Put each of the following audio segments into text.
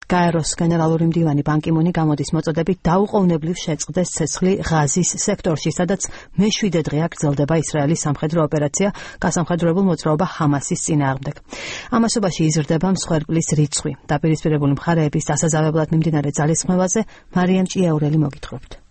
გაეროს გენერალური მდივანი ბან კი მუნი გამოდის მოწოდებით დაუყოვნებლივ შეწყდეს ცეცხლი ღაზის სექტორში, სადაც მე-7 დღეა გრძელდება ისრაელის სამხედრო ოპერაცია გასამხედროებულ მოძრაობა ჰამასის წინააღმდეგ. ამასობაში იზრდება მსხვერპლის რიცხვი. დაპირისპირებული მხარეების დასაზავებლად მიმდინარე ძალისხმევაზე მარიამ ჭიაურელი მოგითხრობთ.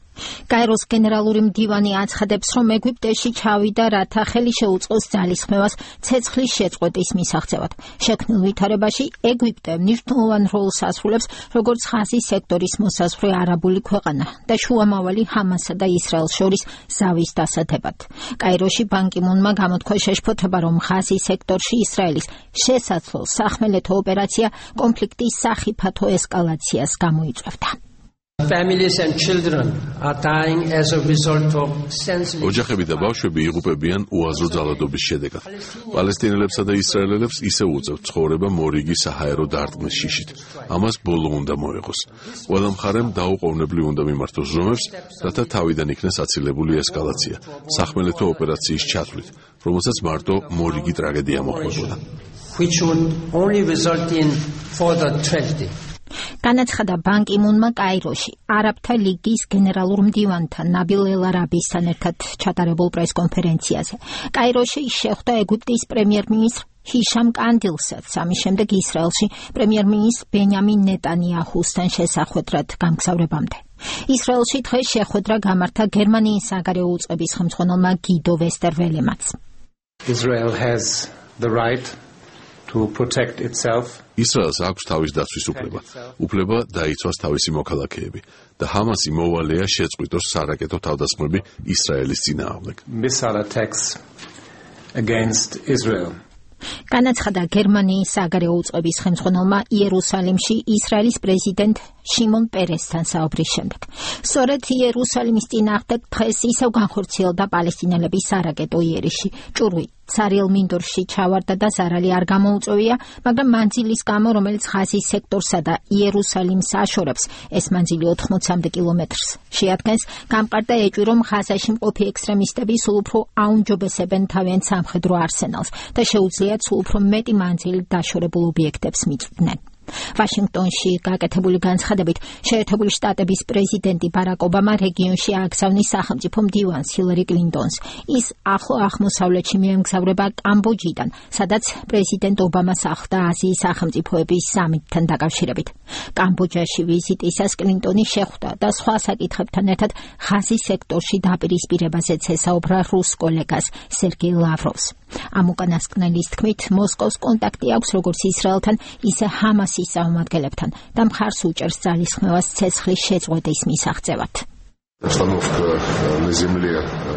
გაეროს გენერალური მდივანი აცხადებს, რომ ეგვიპტეში ჩავიდა, რათა ხელი შეუწყოს ძალისხმევას ცეცხლის შეწყვეტის მისაღწევად. შექმნილ ვითარებაში ეგვიპტე მნიშვნელოვან როლს ასრულებს, როგორც ღაზის სექტორის მოსაზღვრე არაბული ქვეყანა და შუამავალი ჰამასსა და ისრაელს შორის ზავის დასათებად. გაეროში ბან კი მუნმა გამოთქვა შეშფოთება, რომ ღაზის სექტორში ისრაელის შესაძლო სახმელეთო ოპერაცია კონფლიქტის სახიფათო ესკალაციას გამოიწვევდა. Families and children are dying as a result of senseless. ოჯახები და ბავშვები იღუპებიან უაზრო ძალადობის შედეგად. პალესტინელებსა და ისრაელელებს ისევ უწევთ ცხოვრება მორიგი საჰაერო დარტყმის შიშით. ამას ბოლო უნდა მოეღოს. ყველა მხარემ დაუყოვნებლივ უნდა მიმართოს ზომებს, რათა თავიდან იქნეს აცილებული ესკალაცია, სახმელეთო ოპერაციის ჩათვლით, რომელსაც მარტო მორიგი ტრაგედია მოჰყვებოდა. Which would only result in further tragedy. განაცხადა ბან კი მუნმა კაიროში არაბთა ლიგის გენერალურ მდივანთან ნაბილ ელ-არაბისთან ერთად ჩატარებულ პრესკონფერენციაზე. კაიროში შეხვდა ეგვიპტის პრემიერ-მინისტრ ჰიშამ კანდილსაც, ამის შემდეგ ისრაელში პრემიერ-მინისტრ ბენიამინ ნეტანიაჰუსთან შესახვედრად გამგზავრებამდე. ისრაელში დღეს შეხვედრა გამართა გერმანიის საგარეო უწყების ხელმძღვანელმა გიდო ვესტერველემაც. Israel has the right to protect itself. ისრაელს აქვს თავის დაცვის უფლება დაიცვას თავისი მოქალაქეები და ჰამასი მოვალეა შეწყვიტოს სარაკეტო თავდასხმები ისრაელის წინააღმდეგ. Missile attacks against Israel. განაცხადა გერმანიის საგარეო უწყების ხელმძღვანელმა იერუსალიმში ისრაელის პრეზიდენტ შიმონ პერესთან საუბრის შემდეგ. სწორედ იერუსალიმის წინააღმდეგ დღეს ისევ განხორციელდა პალესტინელების სარაკეტო იერიში. ჭურვი ცარიელ მინდორში ჩავარდა და ზარალი არ გამოუწვევია, მაგრამ მანძილის გამო, რომელიც ღაზის სექტორსა და იერუსალიმს აშორებს, ეს მანძილი 80-მდე კილომეტრს შეადგენს, გამყარდა ეჭვი, რომ ღაზაში მყოფი ექსტრემისტები სულ უფრო აუმჯობესებენ თავიანთ სამხედრო არსენალს და შეუძლიათ სულ უფრო მეტი მანძილი დაშორებულ ობიექტებს მიწვდნენ. ვაშინგტონში გაკეთებული განცხადებით შეერთებული შტატების პრეზიდენტი ბარაკ ობამა რეგიონში ააგზავნის სახელმწიფო მდივანს ჰილარი კლინტონს. ის ახლო აღმოსავლეთში მიემგზავრება კამბოჯიდან, სადაც პრეზიდენტ ობამას ახლდა აზიის სახელმწიფოების სამიტთან დაკავშირებით. კამბოჯაში ვიზიტისას კლინტონი შეხვდა და სხვა საკითხებთან ერთად ღაზის სექტორში დაპირისპირებაზეც ესაუბრა რუს კოლეგას სერგეი ლავროვს. ამ უკანასკნელის თქმით, მოსკოვს კონტაქტი აქვს როგორც ისრაელთან, ისე ჰამასის წარმომადგენლებთან და მხარს უჭერს ძალისხმევას ცეცხლის შეწყვეტის მისაღწევად.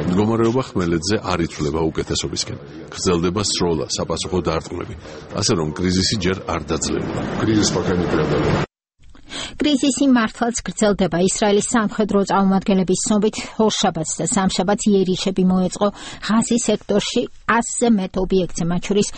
მდგომარეობა ხმელეთზე არ იცვლება უკეთესობისკენ. გრძელდება სროლა, საპასუხო დარტყმები, ასე რომ კრიზისი ჯერ არ დაძლევა. კრიზისი მართლაც გრძელდება. ისრაელის სამხედრო წარმომადგენლების ცნობით, ორშაბათს და სამშაბათს იერიშები მოეწყო ღაზის სექტორში 100-ზე მეტ ობიექტზე, მათ შორის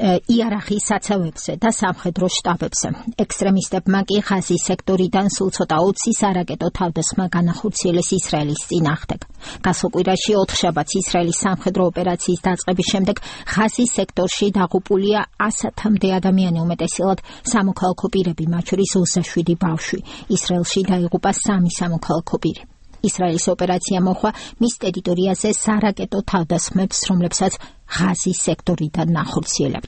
იარაღის საცავებზე და სამხედრო შტაბებზე. ექსტრემისტებმა კი ღაზის სექტორიდან სულ ცოტა 20 სარაკეტო თავდასხმა განახორციელეს ისრაელის წინააღმდეგ. გასულ კვირაში 4 შაბათს ისრაელის სამხედრო ოპერაციის დაწყების შემდეგ ღაზის სექტორში დაღუპულია 100-მდე ადამიანი, უმეტესად სამოქალაქო პირები, მათ შორის 27 ბავშვი. ისრაელში დაიღუპა 3 სამოქალაქო პირი. ისრაელის ოპერაცია მოხდა მის ტერიტორიაზე სარაკეტო თავდასხმებს, რომლებსაც ღაზის სექტორიდან ახორციელებდა.